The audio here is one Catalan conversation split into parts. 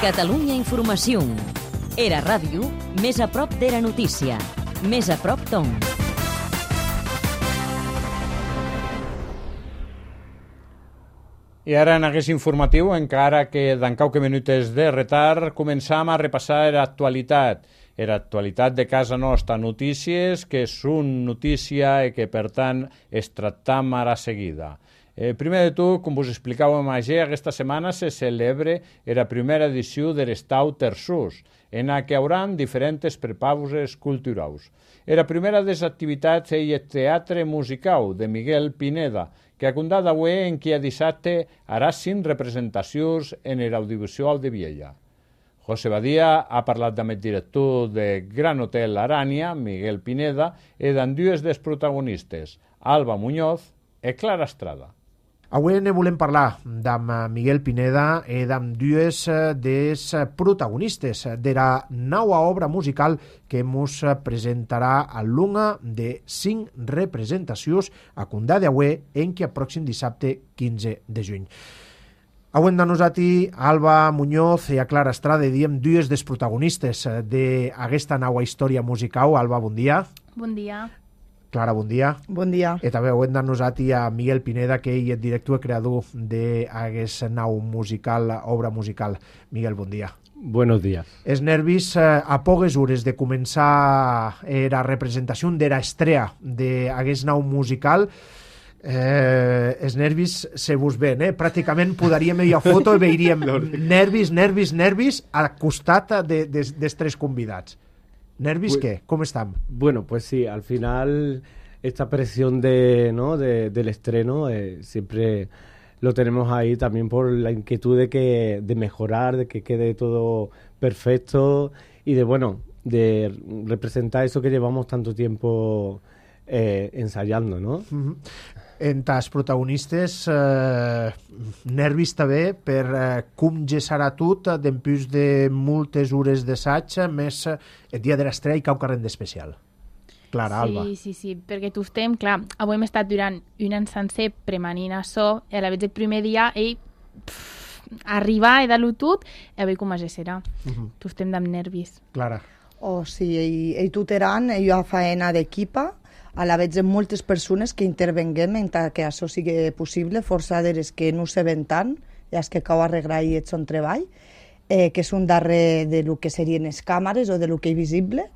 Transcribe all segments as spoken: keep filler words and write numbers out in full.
Catalunya Informació. Era ràdio, més a prop d'Era Notícia. Més a prop d'on. I ara en aquest informatiu, encara que d'en qualque minutes de retard, començam a repassar l'actualitat. Era actualitat de casa nostra, notícies que són notícia i que, per tant, es tractam ara seguida. Eh, primer de tot, com us explicàvem ayer, aquesta setmana se celebra la primera edició de l'Estau Terçós, en la que hi haurà diferents prepauses culturals. La primera de les activitats és el Teatre Musical de Miguel Pineda, que ha contat avui en què dissabte harà cinc representacions en l'audiovisual de Viella. José Badia ha parlat amb el director de Gran Hotel Arània, Miguel Pineda, i d'en dues dels protagonistes, Alba Muñoz i Clara Estrada. Avui ne volem parlar d'amb Miguel Pineda i d'amb dues dels protagonistes de la nova obra musical que mos presentarà a l'una de cinc representacions a Condà d'Aué en que pròxim dissabte quinze de juny. Avui de nosaltres, Alba Muñoz i a Clara Estrada, diem dues dels protagonistes d'aquesta nova història musical. Alba, bon dia. Bon dia. Clara, bon dia. Bon dia. I també ho hem de nosaltres a Miguel Pineda, que ell és director i creador d'aquest nou musical, obra musical. Miguel, bon dia. Buenos días. Els nervis eh, a poques hores de començar eh, la representació de l'estrena d'aquest nou musical, eh, els nervis se vos ven, eh? Pràcticament podríem ir a foto i veiríem nervis, nervis, nervis al costat de, de, dels tres convidats. ¿Nervis pues, qué? ¿Cómo están? Bueno, pues sí, al final esta presión de, ¿no? de, del estreno eh, siempre lo tenemos ahí también por la inquietud de, que, de mejorar, de que quede todo perfecto y de, bueno, de representar eso que llevamos tanto tiempo eh, ensayando, ¿no? Uh-huh. Entre els protagonistes, eh, nervis també per eh, com gesarà tot després de moltes hores d'assaig, més el dia de l'estrena i cau carrer d'especial. Clara, sí, Alba. Sí, sí, sí, perquè tu estem, clar, avui hem estat durant un any sencer premanint això, i a la vegada el primer dia, ell, pff, arribar i dar-lo tot, i avui com es serà. Uh-huh. Tu estem amb nervis. Clara. Oh, sí, ell, ell tuteran, ell fa feina d'equipa, a la vegada moltes persones que intervenguem en que això sigui possible, força d'eres que no se ven tant, i els que cau arreglar i ets un treball, eh, que són darrere de lo que serien les càmeres o de lo que és visible,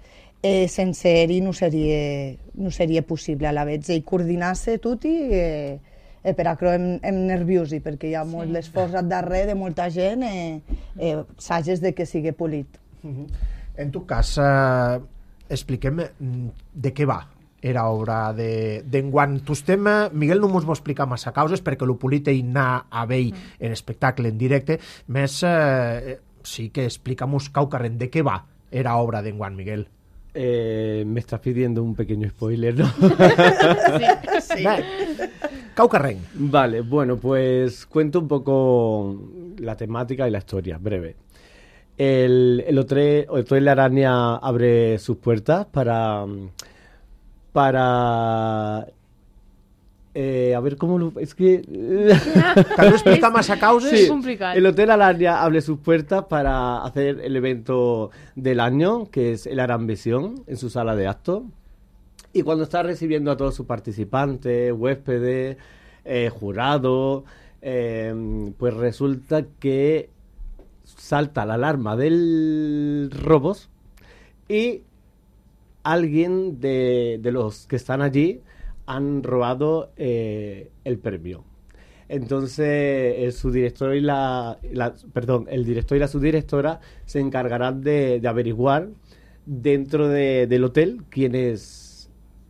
eh, sense ell no seria, no seria possible. A la vegada ell coordinar-se tot i eh, eh, per això em, em nerviosi, perquè hi ha molt sí. l'esforç darrere de molta gent, eh, eh, sages de que sigui polit. Uh-huh. En tu cas, eh, expliquem de què va era obra d'enguant. De, tu estem, Miguel no mos va explicar massa causes perquè lo polit ell anar a vell mm. en espectacle en directe, més eh, sí que explicamos cau carrer de què va era obra d'enguant, Miguel. Eh, me estás pidiendo un pequeño spoiler, ¿no? sí, sí. Cau carrer. Vale, bueno, pues cuento un poco la temática y la historia, breve. El, el Hotel, Hotel Arània abre sus puertas para... para eh, a ver cómo lo, es que tal vez explica más a causa. Sí, el Hotel Arània abre sus puertas para hacer el evento del año, que es el Aranvisión, en su sala de actos, y cuando está recibiendo a todos sus participantes, huéspedes, eh, jurados, eh, pues resulta que salta la alarma del robos y alguien de, de los que están allí han robado eh, el premio. Entonces el subdirector y la, la perdón, el director y la subdirectora se encargarán de, de averiguar dentro de, del hotel quién es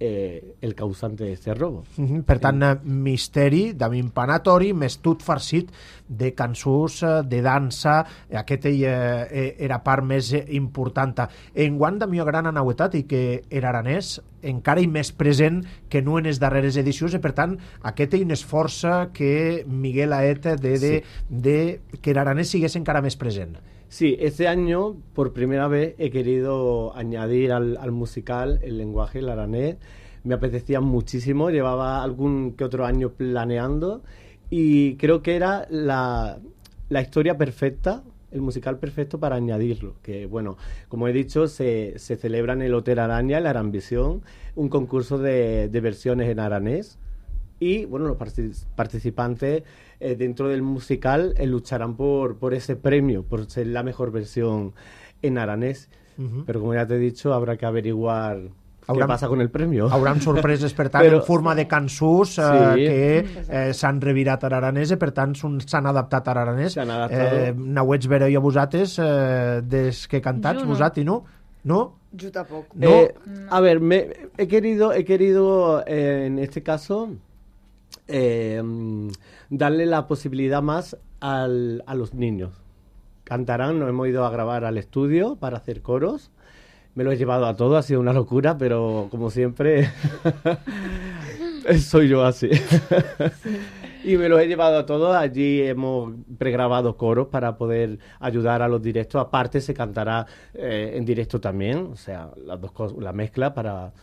eh, el causante de este robo. Mm-hmm. Per tant, eh, misteri d'empanatori, més tot farcit de cançons, de dansa, aquesta eh, era part més important. Enguant de millor gran anauetat i que era aranès encara hi més present que no en les darreres edicions, i per tant aquest és un esforç que Miguel ha fet de, de, sí. de que l'aranès sigués encara més present. Sí, este año por primera vez he querido añadir al, al musical el lenguaje, el aranés. Me apetecía muchísimo, llevaba algún que otro año planeando y creo que era la, la historia perfecta, el musical perfecto para añadirlo. Que, bueno, como he dicho, se, se celebra en el Hotel Araña, en la Aranvisión, un concurso de, de versiones en aranés. Y, bueno, los partic- participantes eh, dentro del musical eh, lucharán por, por ese premio, por ser la mejor versión en aranés. Uh-huh. Pero, como ya te he dicho, habrá que averiguar Hauran, què passa con el premio. Hauran sorpreses, per tant, Però, en forma de cançons eh, sí. que eh, s'han revirat a l'aranès i, per tant, s'han adaptat a l'aranès. S'han adaptat. Eh, Nauets vereu a vosaltres eh, des que cantats, no. vosaltres, no? No? Yo tampoco. No. Eh, a ver, me, he querido, he querido eh, en este caso eh, darle la posibilidad más al, a los niños. Cantarán, nos hemos ido a grabar al estudio para hacer coros. Me lo he llevado a todo, ha sido una locura, pero como siempre soy yo así. Sí. Y me los he llevado a todos. Allí hemos pregrabado coros para poder ayudar a los directos. Aparte se cantará eh, en directo también, o sea, las dos cosas, la mezcla para,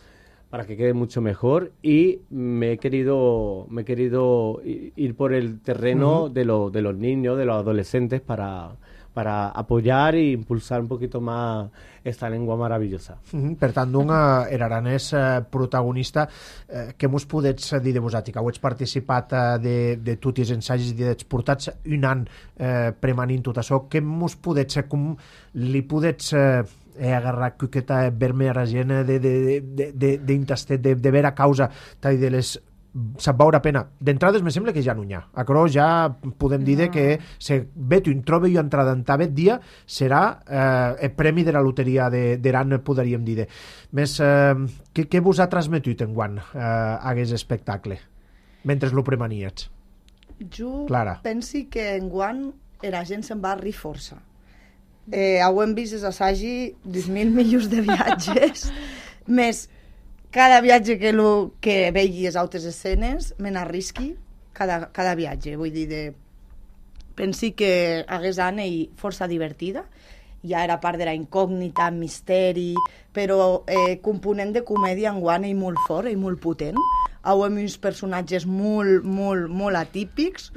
para que quede mucho mejor. Y me he querido, me he querido ir por el terreno uh-huh. de, lo, de los niños, de los adolescentes, para... para apoyar e impulsar un poquito más esta lengua maravillosa. Mm-hmm. Per tant, d'un eh, aranès eh, protagonista, eh, què mos podets dir de vosaltres? Que heu participat eh, de, de tots els ensajos i dels portats un any eh, premanint tot això. Què mos podets, com li podets eh, agarrar aquesta vermella gent de, de, de, de, d'intastet, de, de vera causa de les se'n veure pena. D'entrades me sembla que ja no hi ha. Acrò ja podem dir no. que se veto in trobe jo entrada en tabet dia serà eh, el premi de la loteria d'Aran, podríem dir. Més, eh, què, què vos ha transmetut enguany eh, aquest espectacle mentre lo premaniets? Jo Clara. pensi que enguany la gent se'n va rir força. Eh, ho hem vist els assagi dos mil milions de viatges més cada viatge que, lo, que vegi les altres escenes me n'arrisqui cada, cada viatge, vull dir de... pensi que hagués anat força divertida, ja era part de la incògnita, misteri, però eh, component de comèdia enguany i molt fort i molt potent. Heu uns personatges molt, molt, molt atípics,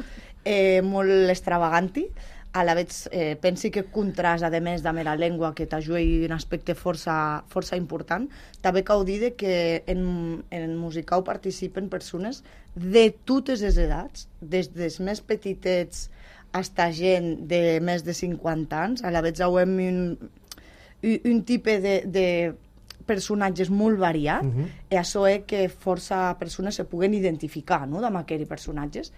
eh, molt extravaganti. A la vegada eh, pensi que contrast, a més, amb la llengua, que t'ajuda un aspecte força, força important. També cal dir que en, en musical participen persones de totes les edats, des dels més petitets fins a gent de més de cinquanta anys. A la vegada hem un, un tipus de, de personatges molt variat, uh-huh. i això és que força persones se puguen identificar, no?, amb aquests personatges.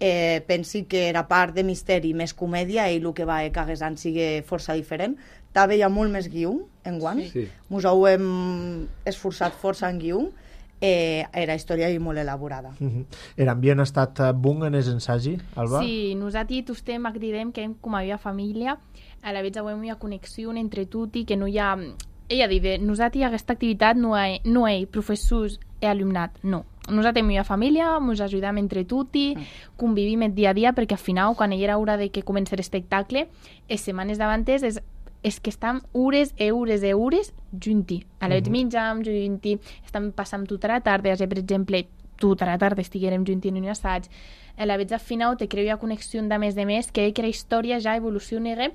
Eh, pensi que era part de misteri més comèdia i el que va que hagués any sigui força diferent. També hi ha molt més guió enguany. Sí. Mos ho hem esforçat força en guió. Eh, era història i molt elaborada. Uh-huh. L'ambient ha estat bon en els ensagi, Alba? Sí, nosaltres estem cridem que com a família a la vegada hi ha connexió entre tutti, que no hi ha... Ella diu, nosaltres aquesta activitat no hi ha, no hi ha professors i alumnat, no. Nosaltres hi ha família, ens ajudem entre tutti, convivim el dia a dia, perquè al final, quan hi era hora de que comenci l'espectacle, les setmanes davantes és, és que estem hores i hores i hores junti. A la vegada uh-huh. menjam junti, estem passant tota la tarda, per exemple, tota la tarda estiguérem junti en un assaig. A la vegada al final te creu una connexió de més de més, que la història ja evoluciona.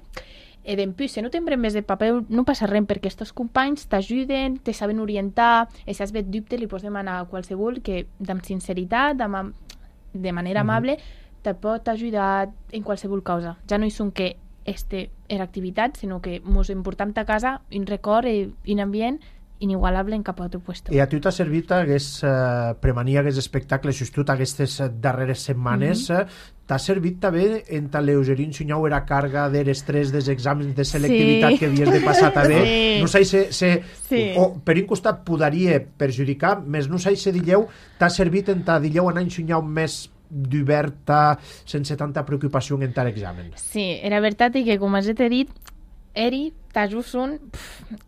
I d'empús, si no tenen més de paper, no passa res, perquè aquests companys t'ajuden, te saben orientar, i si has vet dubte, li pots demanar a qualsevol que, amb sinceritat, amb, de manera amable, mm-hmm. te pot ajudar en qualsevol cosa. Ja no hi són que este era activitat, sinó que ens emportam a casa un record i un ambient inigualable en cap altre puesto. I a tu t'ha servit hagués, eh, premanir aquests espectacles just aquestes darreres setmanes, mm-hmm. t'ha servit també en t'alleugerir ensenyar la càrrega de l'estrès dels exàmens de selectivitat sí. que havies de passar també. Sí. No sé si se, sí. o, per un costat podria perjudicar, més no sé si dilleu t'ha servit en ta dilleu anar ensenyar més d'oberta, sense tanta preocupació en tal examen. Sí, era veritat i que, com has dit, eri t'ajus un... Pff,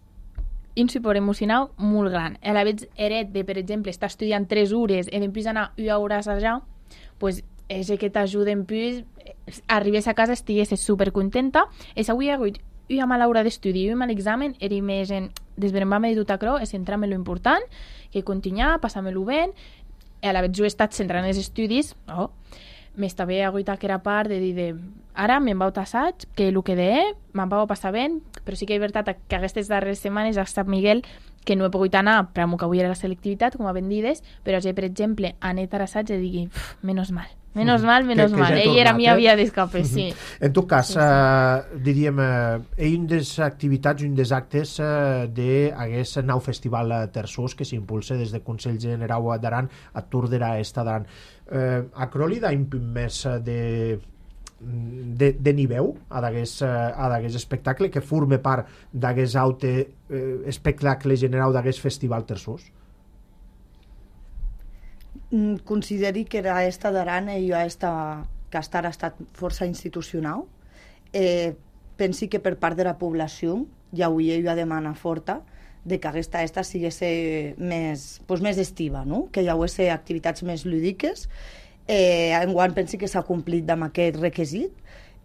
un suport emocional molt gran. A la vegada, Eret, de, per exemple, està estudiant tres hores i després anar una hora a assajar, pues, és que t'ajuda en plus, arribes a casa, estigues supercontenta, i si avui hi ha hagut una mala hora d'estudi i un mal examen, eri més en desbrembar-me de tot això, és centrar-me en lo important, que continuar, passar-me-lo bé, i a la vegada jo he estat centrant els estudis, oh, més també ha hagut aquella part de dir de ara me'n vau assaig, que el que deé me'n vau passar bé, però sí que és veritat que aquestes darreres setmanes ha estat Miguel que no he pogut anar, però que avui era la selectivitat, com a ben dides, però ja, per exemple, anet a l'assaig i digui, menos mal, menos mal, menos que, que mal. ja Ell era tornat, mi eh? havia d'escape, sí. En tot cas, Sí, sí. eh, diríem, eh, un des activitats, un des actes eh, d'aquest nou festival eh, Terçós que s'impulsa des del Consell Generau d'Aran a Tordera Est d'Aran. Eh, a Crowley da un punt més de de, de nivell a d'aquest espectacle que forma part d'aquest aute eh, espectacle general d'aquest festival Terçós? Mm, Consideri que era esta d'Aran i jo esta que estar ha estat força institucional. Eh, pensi que per part de la població ja avui jo demana forta de que aquesta esta sigués més, pues, més estiva, no? Que hi hagués activitats més lúdiques. Eh, enguany pensi que s'ha complit amb aquest requisit,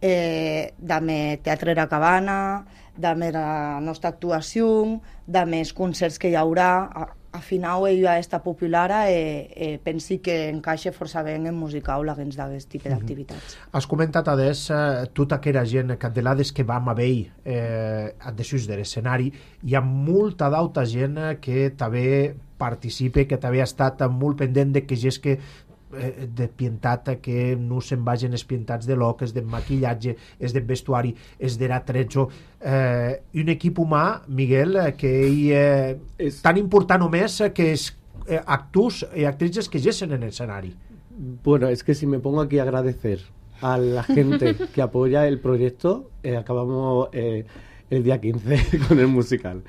eh, de teatre a cabana, de la nostra actuació, de més concerts que hi haurà. A, a final ella està popular i eh, eh, pensi que encaixa força bé en musical alguns d'aquest tipus d'activitats. Has comentat adés eh, tota aquella gent candelades que vam haver eh, desús de l'escenari. Hi ha molta d'altra gent que també participa, que també ha estat molt pendent de que és que de pintat, que no se'n vagin espientats de loc, és de maquillatge, és de vestuari, és de l'atrecho. Eh, un equip humà, Miguel, que hi, eh, és tan important o més que és eh, actors i actrices que gessen en l'escenari. Bueno, es que si me pongo aquí a agradecer a la gente que apoya el proyecto, eh, acabamos eh, el día quince con el musical.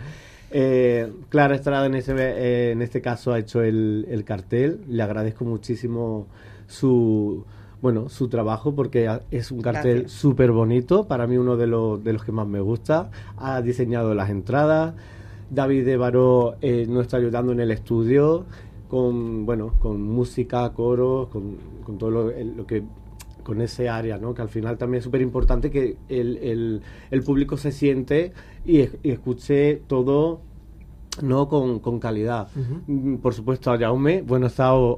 Eh, Clara Estrada en, ese, eh, en este caso ha hecho el, el cartel. Le agradezco muchísimo su bueno su trabajo porque es un cartel súper bonito, para mí uno de los, de los que más me gusta. Ha diseñado las entradas. David de Baró eh, nos está ayudando en el estudio con bueno con música, coros, con, con todo lo, lo que con ese área, ¿no? Que al final también es súper importante que el, el, el público se siente y, y escuche todo, ¿no? Con, con calidad. Uh-huh. Por supuesto a Jaume, bueno, he estado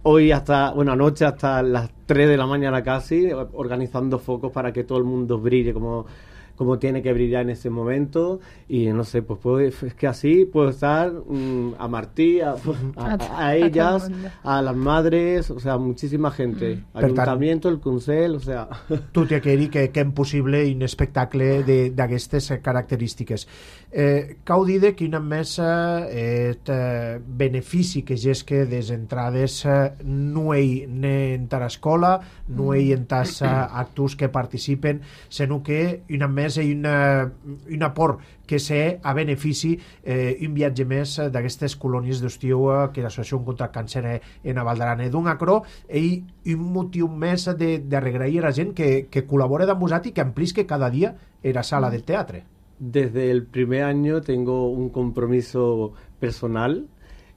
hoy hasta, bueno, anoche hasta las tres de la mañana casi, organizando focos para que todo el mundo brille como, como tiene que brillar en ese momento. Y no sé, pues puedo, es que así puedo estar um, a Martí, a, a, a, a ellas, a las madres, o sea, muchísima gente. Mm. Ayuntamiento, el Consell, o sea... Tot i aquell que, que és possible un espectacle d'aquestes característiques. Eh, cau dir que una mesa eh, eh, benefici que és que des entrades eh, no hi en ta l'escola, no hi en tas eh, actors que participen, sinó que una mesa i una, un aport que sé a benefici eh, un viatge més d'aquestes colònies d'estiu eh, que l'Associació contra el Càncer en Val d'Aran. D'un acro i un motiu més de, de regrair a la gent que, que col·labora amb vosaltres i que amplisque cada dia en la sala del teatre. Desde el primer año tengo un compromiso personal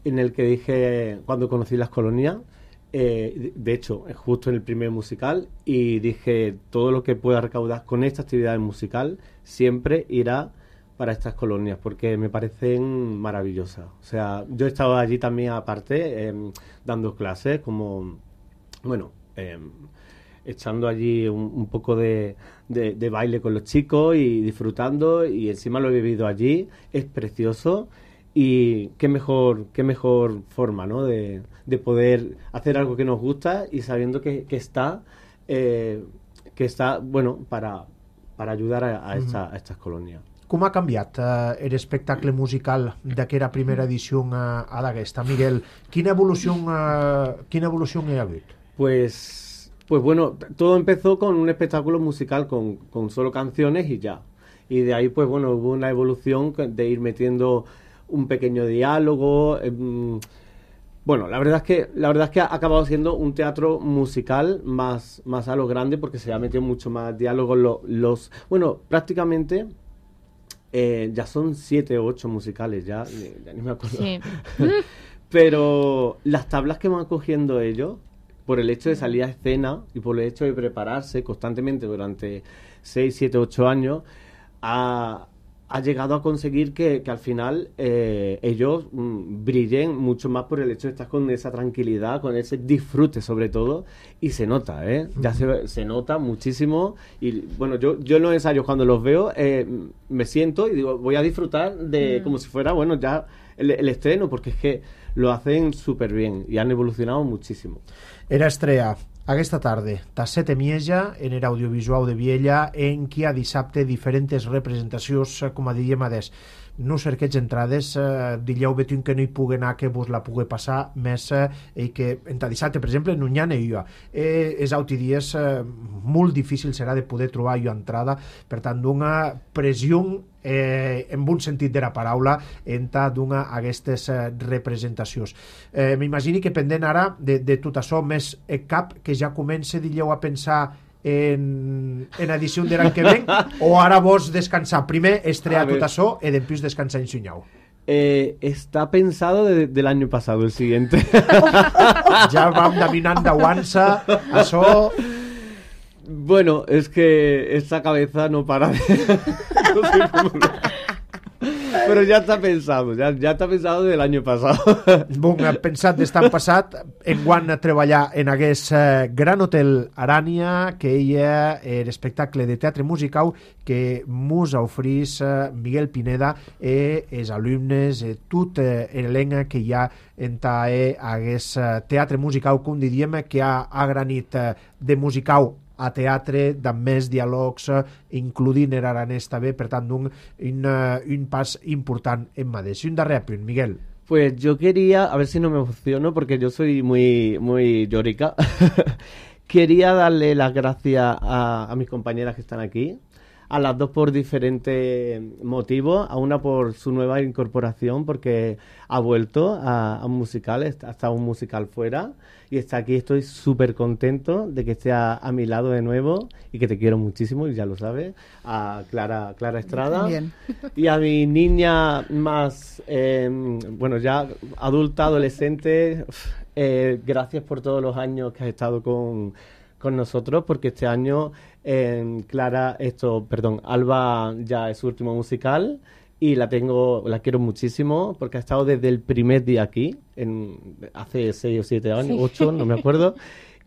en el que dije, cuando conocí las colonias, eh, de hecho, justo en el primer musical, y dije, todo lo que pueda recaudar con esta actividad musical siempre irá para estas colonias, porque me parecen maravillosas. O sea, yo he estado allí también aparte, eh, dando clases, como, bueno, eh, echando allí un, un poco de, de, de baile con los chicos y disfrutando, y encima lo he vivido allí. Es precioso y qué mejor qué mejor forma, ¿no? de, de poder hacer algo que nos gusta y sabiendo que, que está eh, que está bueno para, para ayudar a, a, esta, a estas colonias. Com ha canviat eh, l'espectacle musical d'aquella primera edició a, a d'aquesta? Miguel, quina evolució, eh, quina evolució hi ha hagut? Pues Pues bueno, todo empezó con un espectáculo musical con, con solo canciones y ya. Y de ahí, pues bueno, hubo una evolución de ir metiendo un pequeño diálogo. Eh, bueno, la verdad es que la verdad es que ha acabado siendo un teatro musical más, más a lo grande porque se ha metido mucho más diálogo. Los, los bueno, prácticamente eh, ya son siete o ocho musicales, ya, ya ni me acuerdo. Sí. Pero las tablas que van cogiendo ellos, por el hecho de salir a escena y por el hecho de prepararse constantemente durante seis, siete, ocho años, ha, ha llegado a conseguir que, que al final eh, ellos mm, brillen mucho más por el hecho de estar con esa tranquilidad, con ese disfrute sobre todo, y se nota, ¿eh? Ya se, se nota muchísimo, y bueno, yo, yo en los ensayos cuando los veo eh, me siento y digo, voy a disfrutar de mm. como si fuera, bueno, ya el, el estreno, porque es que lo hacen súper bien y han evolucionado muchísimo. Era estrella aquesta tarda, Tasset Emieja, en el audiovisual de Viella, en qui a dissabte diferents representacions, com a diríem adés. No cerqueig entrades, eh, dilleu betum que no hi pugui anar, que vos la pugui passar més, eh, i que en dissabte, per exemple, no hi ha jo. Eh, és auti dies eh, molt difícil serà de poder trobar jo entrada, per tant, d'una pressió eh, en bon sentit de la paraula entre d'una aquestes eh, representacions. Eh, M'imagini que pendent ara de, de tot això, més eh, cap que ja comence, dilleu, a pensar en, en edició de l'any que ven, o ara vos descansar primer, estrear tot això i després descansar en Sunyau? Eh, está pensado de, del año pasado el siguiente. Ja vam dominant d'aguança això. Bueno, es que esta cabeza no para de... no sé cómo... Però ja està pensado, ja, ja està pensado del año pasado. Bon, pensat d'estar passat, enguany a treballar en aquest eh, Gran Hotel Arània, que ella és l'espectacle de teatre musical que mos ofrís eh, Miguel Pineda i els alumnes, eh, tot eh, l'elenc que hi ha en aquest eh, teatre musical, com diríem, que ha, ha granit eh, de musical a teatre, amb més diàlegs, includint el aranès també, per tant, un, un, un pas important en Madrid. Un darrer apunt, Miguel. Pues yo quería, a ver si no me emociono, porque yo soy muy, muy llorica, quería darle las gracias a, a mis compañeras que están aquí, a las dos por diferentes motivos, a una por su nueva incorporación, porque ha vuelto a, a un musical, ha estado un musical fuera, y está aquí. Estoy súper contento de que esté a, a mi lado de nuevo, y que te quiero muchísimo, y ya lo sabes, a Clara, Clara Estrada, Bien. Y a mi niña más, eh, bueno, ya adulta, adolescente, eh, gracias por todos los años que has estado con, con nosotros, porque este año eh, Clara, esto, perdón, Alba ya es su último musical, y la tengo, la quiero muchísimo, porque ha estado desde el primer día aquí, en, hace seis o siete años, sí. ocho, no me acuerdo,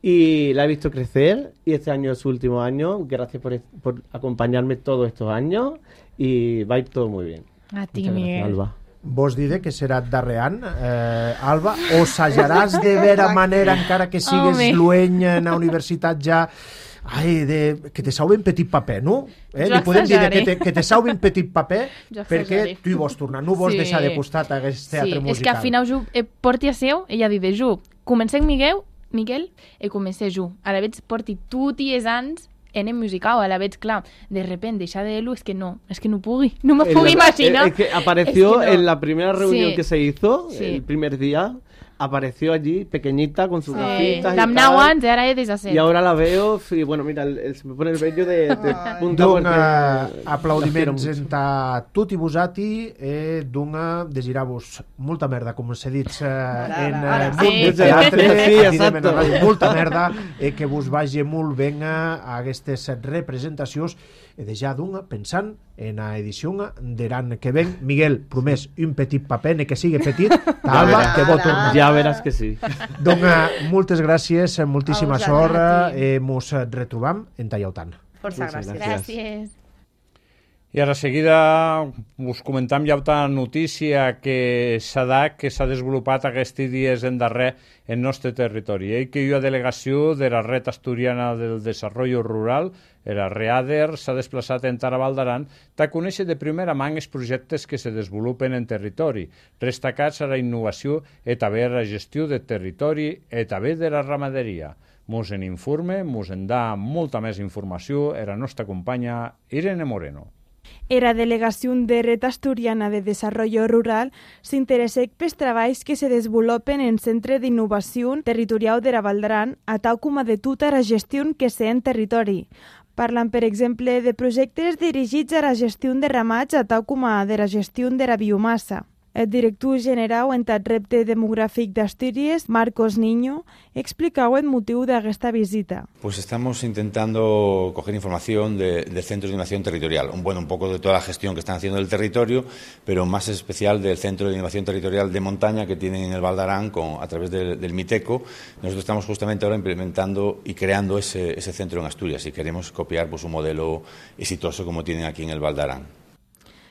y la he visto crecer, y este año es su último año. Gracias por, por acompañarme todos estos años, y va a ir todo muy bien. A ti, Muchas Miguel. Gracias, Alba. Vos diré que serà darrer any, eh, Alba, o s'ajaràs de vera manera, encara que sigues Home. lueny en la universitat ja, ai, de, que te sauven petit paper, no? Eh? Jo Li podem dir assajaré. que te, que te sauven petit paper Jo perquè assajaré. tu hi vols tornar, no vols Sí. deixar de costat aquest teatre Sí, musical. és que al final jo eh, porti a seu, ella diu de jo, comencem Miguel, Miguel, i comencé jo. A la veig porti tot i els anys en el musical, a la veig, clar, de repente deixar de lo, és que no, és que no pugui, no me En puc la- imaginar. Es que apareció Es que no. en la primera reunión Sí. que se hizo, Sí. el primer día, apareció allí, pequeñita, con sus Sí. gafitas y D'am tal. nou anys, ara he de Y ahora la veo, y bueno, mira, el- el- se me pone el vello de, de punta D'un porque eh, las quiero aplaudiments mucho. entre tot i vosati, eh, d'un desitjar-vos molta merda, com s'ha dit eh, en eh, ara. món Sí. del teatre, Sí, aquí de exacto. Mena Ràdio, molta merda, eh, que vos vagi molt ben a aquestes representacions, i de ja d'un pensant en la edició de l'any que ven. Miguel, promès un petit paper, ni que sigui petit, Alba, veràs. que vol tornar. Ya verás que sí. Doncs moltes gràcies, moltíssima A vosaltres, sort, a ti. eh, mos retrobam en Tallautant. Força Muchas gràcies. gracias. Gràcies. I ara seguida us comentam ja una notícia que s'ha dat, que s'ha desenvolupat aquests dies en darrer en nostre territori. Eh? Que hi ha delegació de la Red Asturiana del Desarrollo Rural, la READER, s'ha desplaçat en Taraval d'Aran per conèixer de primera mà els projectes que se desenvolupen en territori, destacats a la innovació i també a la gestió del territori i també de la ramaderia. Mos en informe, mos en da molta més informació a la nostra companya Irene Moreno. Era delegació de Red Asturiana de Desarrollo Rural s'interessa pels treballs que se desenvolupen en Centre d'Innovació Territorial de la Valdran, a tal com a de tota la gestió que sé en territori. Parlen, per exemple, de projectes dirigits a la gestió de ramats, a tal com a de la gestió de la biomassa. El director general en el repte demogràfic d'Astúries, Marcos Niño, explicau el motiu d'aquesta visita. Pues estamos intentando coger información de, del Centro de Innovación Territorial, un, bueno, un poco de toda la gestión que están haciendo del territorio, pero más especial del Centro de Innovación Territorial de Montaña que tienen en el Val d'Aran con, a través del, del MITECO. Nosotros estamos justamente ahora implementando y creando ese, ese centro en Asturias y queremos copiar pues, un modelo exitoso como tienen aquí en el Val d'Aran.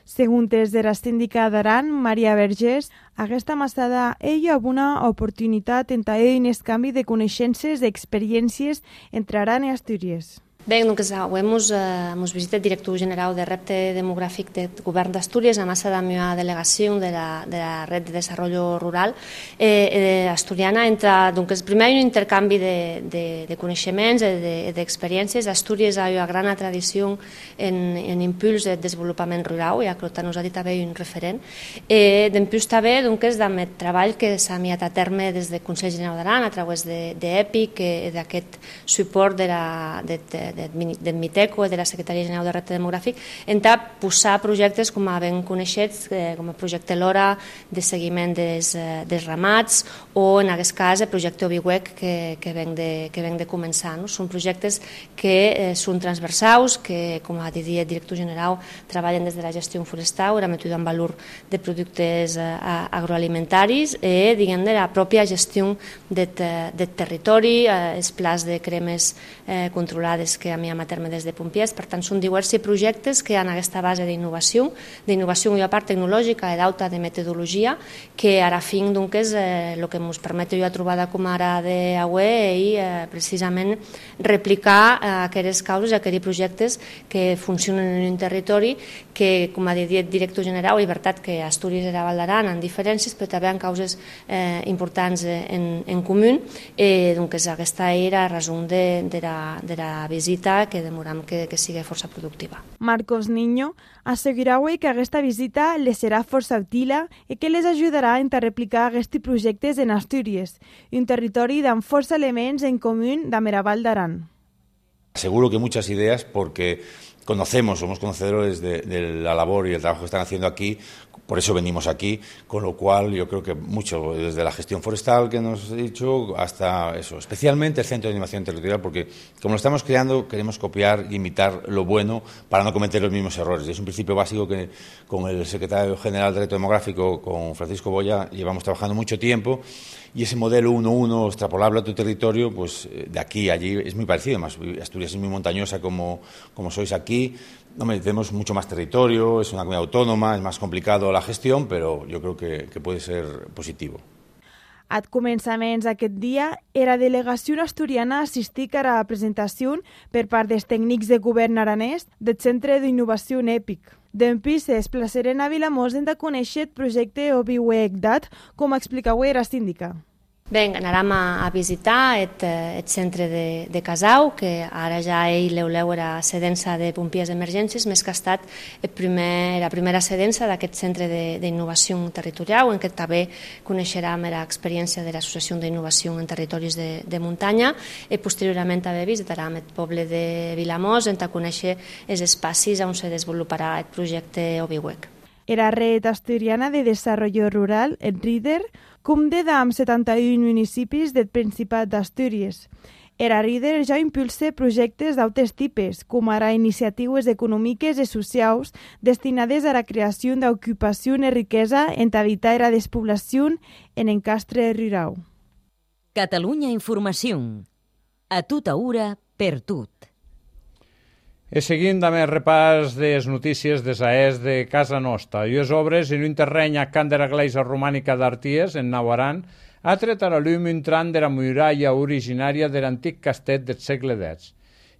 Segons des de la síndica d'Aran, Maria Vergés, aquesta massada hi ha una oportunitat en un canvi de coneixences i experiències entre Aran i Astúries. Bé, doncs avui hemos, eh, hemos visitat el director general de repte demogràfic del govern d'Astúries, a massa de la meva delegació de la, de la Red de Desarrollo Rural eh, eh, asturiana. Entre, doncs, primer hi ha un intercanvi de, de, de coneixements, d'experiències. De, de Astúries hi ha una gran tradició en, en impuls de desenvolupament rural, ja que nos ha dit també un referent. Eh, D'impuls també, doncs, del treball que s'ha miat a terme des del Consell General d'Aran a través d'EPIC, de, d'aquest suport de la, de, de, del MITECO i de la Secretaria General de Repte Demogràfic, en posar projectes com a ben coneixets, com el projecte LORA de seguiment des, dels ramats o en aquest cas el projecte OBIWEC que, que, venc de, que venc de començar. No? Són projectes que eh, són transversals, que com ha dit el director general treballen des de la gestió forestal, la mètode en valor de productes eh, agroalimentaris i diguem de la pròpia gestió del de territori, eh, els plans de cremes eh, controlades que a mi a terme des de Pompiers. Per tant, són diversos projectes que han aquesta base d'innovació, d'innovació i a part tecnològica i d'alta de metodologia, que ara fin doncs, és eh, el que ens permet jo a trobar com ara d'avui i eh, precisament replicar eh, aquestes causes, aquests projectes que funcionen en un territori que, com ha dit el director general, és veritat que Astúries i la Val d'Aran han diferències, però també han causes eh, importants en, en comú. Eh, doncs aquesta era la raó de, de, la, de la visita que demoram que, que sigui força productiva. Marcos Niño assegura avui que aquesta visita les serà força útil i que les ajudarà a replicar aquests projectes en Astúries, un territori amb força elements en comú amb el Val d'Aran. Seguro que muchas ideas porque conocemos, somos conocedores de, de la labor y el trabajo que están haciendo aquí, por eso venimos aquí, con lo cual yo creo que mucho, desde la gestión forestal que nos he dicho, hasta eso, especialmente el Centro de Innovación Territorial, porque como lo estamos creando, queremos copiar y imitar lo bueno para no cometer los mismos errores. Es un principio básico que con el secretario general de Reto Demográfico, con Francisco Boya, llevamos trabajando mucho tiempo, y ese modelo uno uno extrapolable a tu territorio, pues de aquí a allí es muy parecido. Además, Asturias es muy montañosa como, como sois aquí. Hombre, tenemos mucho más territorio, es una comunidad autónoma, es más complicado la gestión, pero yo creo que, que puede ser positivo. Al començaments d'aquest dia, la delegació asturiana assistic a la presentació per part dels tècnics de govern aranès del Centre d'Innovació EPIC. D'empís es desplaçaren a Vilamós de conèixer el projecte OBIWEC-DAT, com explicau la síndica. Bé, anàrem a, a visitar el, el centre de, de Casau, que ara ja ell l'euleu era cedença de Pompiers d'Emergències, més que ha estat el primer, la primera cedença d'aquest centre d'innovació territorial, en què també coneixerem l'experiència de l'Associació d'Innovació en Territoris de, de Muntanya, i posteriorment també visitarem el poble de Vilamós, on conèixer els espacis on se desenvoluparà el projecte OBIWEC. La Red Asturiana de Desarrollo Rural, el RIDER, compta amb setanta-un municipis del Principat d'Astúries. El RIDER ja impulsa projectes d'altres tipus, com ara iniciatives econòmiques i socials destinades a la creació d'ocupació i riquesa en evitar la despoblació en encastre rural. Catalunya Informació. A tota hora, per tot. I seguint amb el repàs de les notícies des aes de casa nostra. I les obres en un terreny a Can de la Gleisa Romànica d'Arties, en Nauaran, ha tret a la llum un tram de la muralla originària de l'antic castet del segle deu,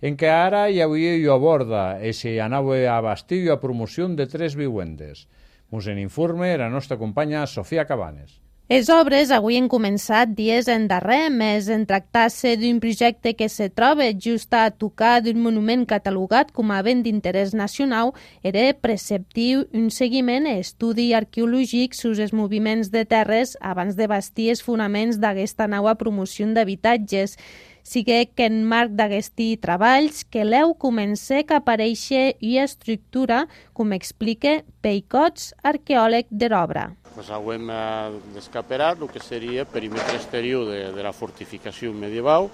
en què ara hi havia i a borda, i s'hi anava a bastir i a promoció de tres vivendes. Mos en informe la nostra companya Sofia Cabanes. Les obres avui han començat dies endarrer, més en tractar-se d'un projecte que se troba just a tocar d'un monument catalogat com a bé d'interès nacional, era preceptiu un seguiment i estudi arqueològic sobre els moviments de terres abans de bastir els fonaments d'aquesta nova promoció d'habitatges. Sigue que en marc d'aquests treballs que l'eu comença a aparèixer i estructura, com explica Peicots, arqueòleg de l'obra. Pues hem descaperat el que seria el perímetre exterior de, de la fortificació medieval,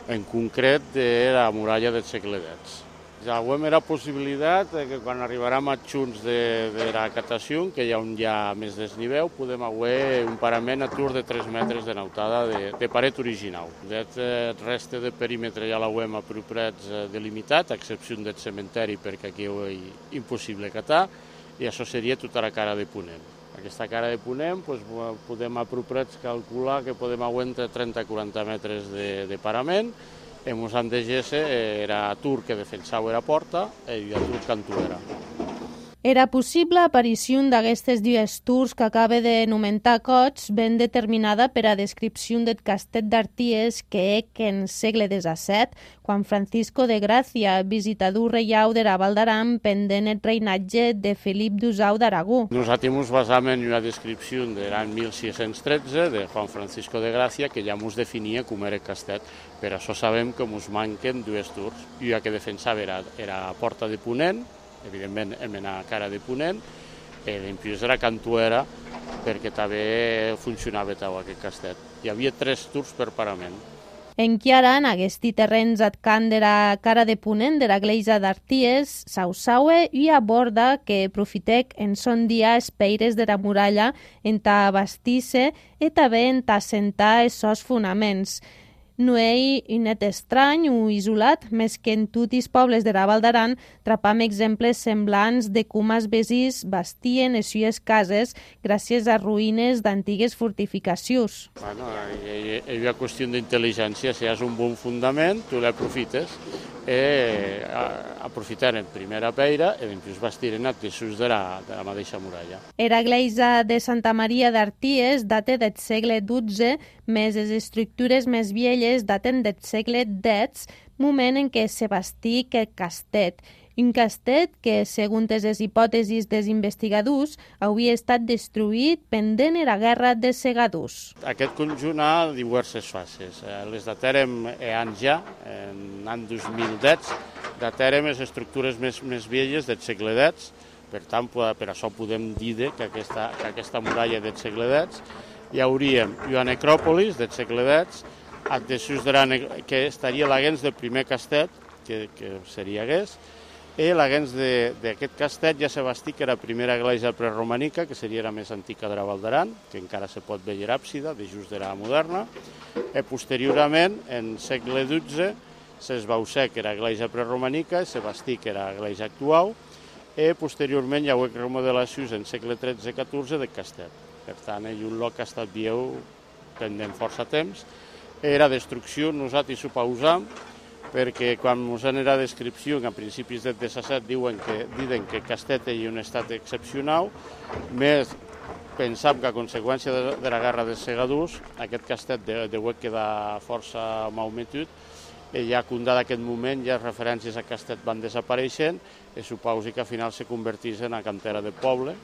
en concret de la muralla del segle dez. Ja hem la possibilitat que quan arribarem a junts de, de la catació, que hi ha un ja més desnivell, podem haver un parament a tur de tres metres de nautada de, de paret original. El reste de perímetre ja l'hem a propets delimitat, a excepció del cementeri, perquè aquí és impossible catar, i això seria tota la cara de ponent. Aquesta cara de ponent doncs, podem a propets calcular que podem haver entre trenta i quaranta metres de, de parament. En us han de gesse era tur que defensava la porta i el tur cantuera. Era possible aparició d'aquestes dues tours que acaba de nomentar Cots, ben determinada per a descripció del castet d'Arties que ec en segle disset, quan Francisco de Gràcia, visitador reiau de la Val d'Aran, pendent el reinatge de Felip d'Usau d'Aragó. Nosaltres ens basam en una descripció de l'any mil sis-cents tretze de Juan Francisco de Gràcia que ja ens definia com era el castet. Per això sabem que ens manquen dues tours. Una que defensava era, era la porta de ponent, evidentment en la cara de ponent, i després era cantuera perquè també funcionava tot aquest castet. Hi havia tres tours per parament. Enquiara, en aquests terrenys ad cant de la cara de ponent de la gleisa d'Arties, Sausaue i aborda que profitec en son dia els peires de la muralla en ta bastisse i també en ta assentar els seus fonaments. No hi ha net estrany o isolat, més que en tots els pobles de la Val d'Aran trapam exemples semblants de com els veïns bastien les sues cases gràcies a ruïnes d'antigues fortificacions. Bueno, hi ha una qüestió d'intel·ligència. Si has un bon fundament, tu l'aprofites. Eh, aprofitaren primera peira i després bastiren els desús de la, de la mateixa muralla. Era gleisa de Santa Maria d'Arties data del segle dotze, més les estructures més velles daten del segle dez, moment en què se bastí el castet. Un castet que, segons les hipòtesis dels investigadors, hauria estat destruït pendent la guerra dels segadors. Aquest conjunt ha diverses fases. Les datarem anys ja, en l'any dos mil dez, datarem les estructures més, més velles del segle dez, per tant, per això podem dir que aquesta, que aquesta muralla del segle dez hi hauríem una necròpolis del segle dez, que estaria l'agens del primer castet, que, que seria hagués, i l'agens d'aquest castet ja se bastí que era la primera església preromànica, que seria la més antiga de la Val d'Aran, que encara se pot veure l'àpsida, de just de la moderna, i posteriorment, en segle dotze, s'esbauçà que era església preromànica, se bastí que era l'església actual, i posteriorment hi ha hagut remodelacions en segle tretze catorze del castet. Per tant, hi ha un lloc que ha estat viu pendent força temps. Era destrucció, nosaltres ho pausam, perquè quan ens en la descripció, a principis del disset, diuen que, diuen que el castet és un estat excepcional, més pensam que a conseqüència de, de la guerra dels segadors, aquest castet deu quedar força malmetut, i ja condada aquest moment, ja les referències a castet van desapareixent, i supausi que al final se convertís en la cantera del poble,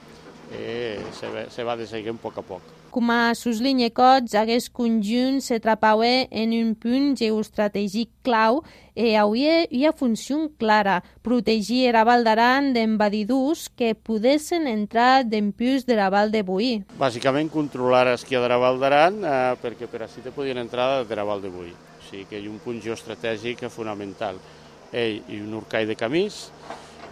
i se, se va desaiguent a poc a poc. Com a suslinya Cots, aquest conjunt se trapava en un punt geoestratègic clau i havia una funció clara, protegir la Val d'Aran d'envadidors que poguessin entrar d'empús de la Val de Boí. Bàsicament controlar l'esquia de la Val d'Aran eh, perquè per així te podien entrar de la Val de Boí. O sigui que hi ha un punt geoestratègic fonamental. Ell i un urcall de camís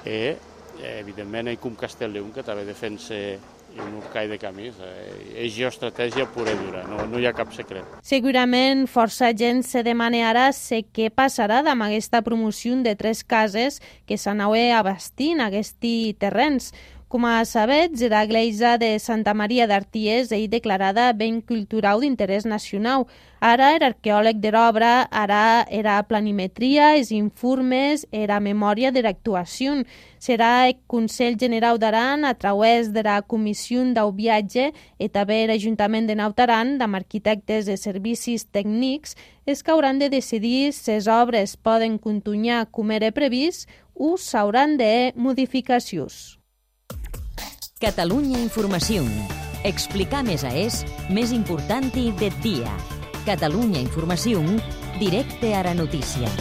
i evidentment ell com Castellleon que també defensa un urcall de camís. És geoestratègia pura i dura, no, no hi ha cap secret. Segurament força gent se demana ara què passarà amb aquesta promoció de tres cases que s'anava abastint aquests terrenys. Com a sabets, la església de Santa Maria d'Arties és declarada ben cultural d'interès nacional. Ara era arqueòleg de l'obra, ara era planimetria, els informes, era memòria de l'actuació. Serà el Consell General d'Aran, a través de la Comissió del Viatge i també l'Ajuntament de Naut Aran, amb arquitectes de servicis tècnics, és que hauran de decidir si les obres poden continuar com era previst o s'hauran de modificacions. Catalunya Informació. Explicar més a és més important del dia. Catalunya Informació, directe a la notícia.